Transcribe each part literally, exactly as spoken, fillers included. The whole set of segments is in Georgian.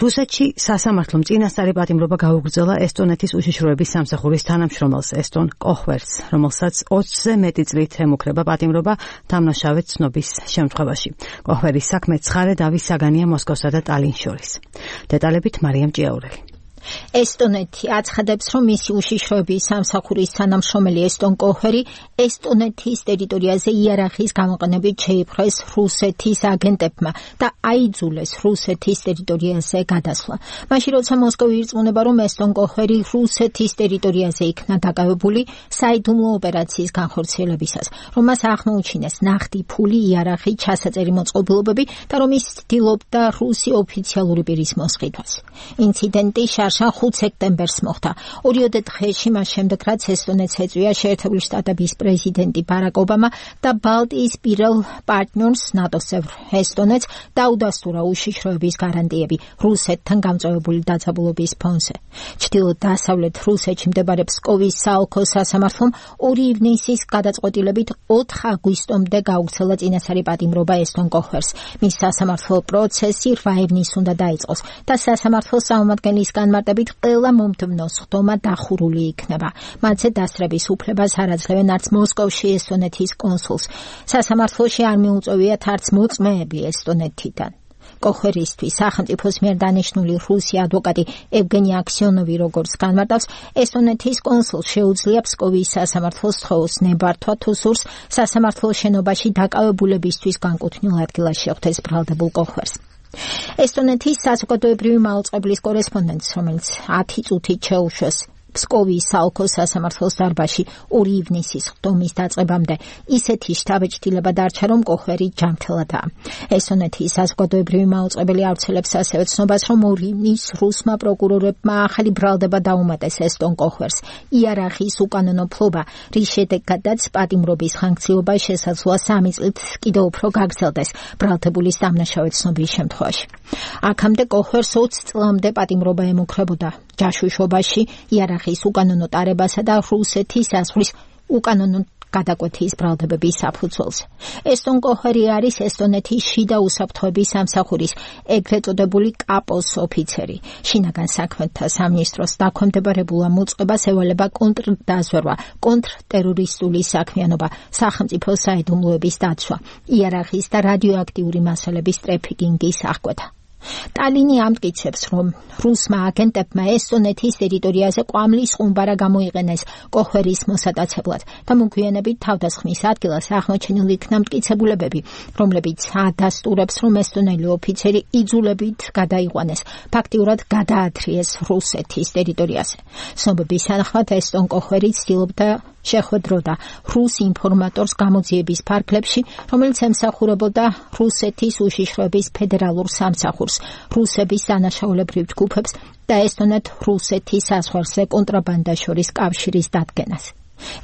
რუსეთში სასამართლომ წინასწარი პატიმრობა გაუგრძელა ესტონეთის უშიშროების სამსახურის თანამშრომელს ესტონ კოხვერს, რომელსაც ოცზე მეტი წლით ემუქრება პატიმრობა დამნაშავედ ცნობის შემთხვევაში. კოხვერის საქმე ცხარე დავის საგანია მოსკოვსა და ტალინს შორის. დეტალებით მარიამ ჭიაურელი. ესტონეთი აცხადებს, რომ მისი უშიშროების სამსახურის თანამშრომელი ესტონ კოხვერი ესტონეთის ტერიტორიაზე იარაღის გამოყენებით შეიპყრეს რუსეთის აგენტებმა და აიძულეს რუსეთის ტერიტორიაზე გადასვლა. მაშინ როცა მოსკოვი ირწმუნება, რომ ესტონ კოხვერი რუსეთის ტერიტორიაზე იქნა დაკავებული საიდუმლო ოპერაციის განხორციელებისას, რომ მას აღმოუჩინეს ნახტი ფული, იარაღი, ჩასაწერი მოწყობილობები და რომ ის ცდილობდა რუსი ოფიციალური პირის მოსყიდვას. ინციდენტი ხუთ სექტემბერს მოხდა. ორიოდე დღეში მას შემდეგ, რაც ესტონეთს ეწვია შეერთებული შტატების პრეზიდენტი ბარაკ ობამა და ბალტიის პირველ პარტნიორს ნატოს წევრ ესტონეთს დაუდასტურა უშიშროების გარანტიები რუსეთთან გამწვავებული დაძაბულობის ფონზე. ჩრდილო-დასავლეთ რუსეთში მდებარე ფსკოვის საოლქო სასამართლომ ორი ივნისის გადაწყვეტილებით ოთხ აგვისტომდე გაუგრძელა წინასწარი პატიმრობა ესტონ კოხვერს. მის სასამართლო პროცესი რვა ივნისს უნდა დაიწყოს და სასამართლოს წარმომადგენლის განმარტებით ყველა მომდევნო სხდომა დახურული იქნება. მათზე დასწრების უფლებას არ აძლევენ არც მოსკოვში ესტონეთის კონსულს. სასამართლოში არ მიუწევიათ არც მოწმეები ესტონეთიდან. კოხვერისთვის სახელმწიფოს მიერ დანიშნული რუსი ადვოკატი ევგენი აქსიონოვი როგორც განმარტავს, ესტონეთის კონსულს შეუძლია ფსკოვის სასამართლოს სხეულს ნებართვა თუ სურს სასამართლოს შენობაში დაკავებულებისთვის განკუთვნილ ადგილას შეხვდეს ბრალდებულ კოხვერს. ესტონეთის საზოგადოებრივი მაუწყებლის კორესპონდენტს, რომელიც ათი წუთით შეუშვეს ფსკოვის საოლქო სასამართლოს დარბაზში ორი ივნისის სხდომის დაწყებამდე, ისეთი შთაბეჭდილება დარჩა, რომ კოხვერი ჯანმრთელადაა. ესტონეთის საზოგადოებრივი მაუწყებელი ავრცელებს ასევე ცნობას, რომ ორი ივნისს რუსმა პროკურორებმა ახალი ბრალდება დაუმატეს ესტონ კოხვერს. იარაღის უკანონო ფლობა, რის შედეგადაც პატიმრობის ხანგრძლივობა შესაძლოა სამი წლით კიდევ უფრო გაგრძელდეს ბრალდებულის დამნაშავედ ცნობის შემთხვევაში. აქამდე კოხვერს ოცი წლამდე პატიმრობა ემუქრებოდა ჯაშუშობაში, იარაღის უკანონო ტარებასა და რუსეთის საზღვრის უკანონო გადაკვეთის ბრალდებების საფუძველზე. ესტონ კოხვერი არის ესტონეთის შიდა უსაფრთხოების სამსახურის ეგრეთ წოდებული კაპოს ოფიცერი. შინაგან საქმეთა სამინისტროს დაქვემდებარებულა მოწყებას ევალება კონტრდაზვერვა, კონტრტერორისტული საქმიანობა, სახელმწიფო საიდუმლოების დაცვა, იარაღის და რადიოაქტიური მასალების ტრაფიკინგის აღკვეთა. ტალინი ამტკიცებს, რომ რუსმა აგენტებმა ესტონეთის ტერიტორიაზე ყვამლის ხუმბარა გამოიყენეს კოხვერის მოსატაცებლად და მოგვიანებით თავდასხმის ადგილას აღმოჩენილი იქნა მტკიცებულებები, რომლებიც ადასტურებს, რომ ესტონელი ოფიცერი იძულებით გადაიყვანეს, ფაქტიურად გადაათრიეს რუსეთის ტერიტორიაზე. ცნობების თანახმად ესტონ კოხვერი ცდილობდა შეხვედროდა რუს ინფორმატორს გამოძიების ფარგლებში, რომელიც ემსახურებოდა რუსეთის უშიშროების ფედერალურ სამსახურს, რუსების დანაშაულებრივ ჯგუფებს და ესტონეთ-რუსეთის საზღვარზე კონტრაბანდას შორის კავშირის დადგენას.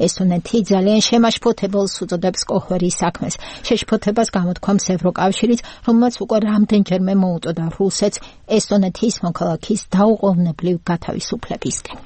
ესტონეთი ძალიან შემაშფოთებელს უწოდებს კოხვერის საქმეს. შეშფოთებას გამოთქვამს ევროკავშირიც, რომელმაც უკვე რამდენჯერმე მოუწოდა რუსეთს ესტონეთის მოქალაქის დაუყოვნებლივ გათავისუფლებისკენ.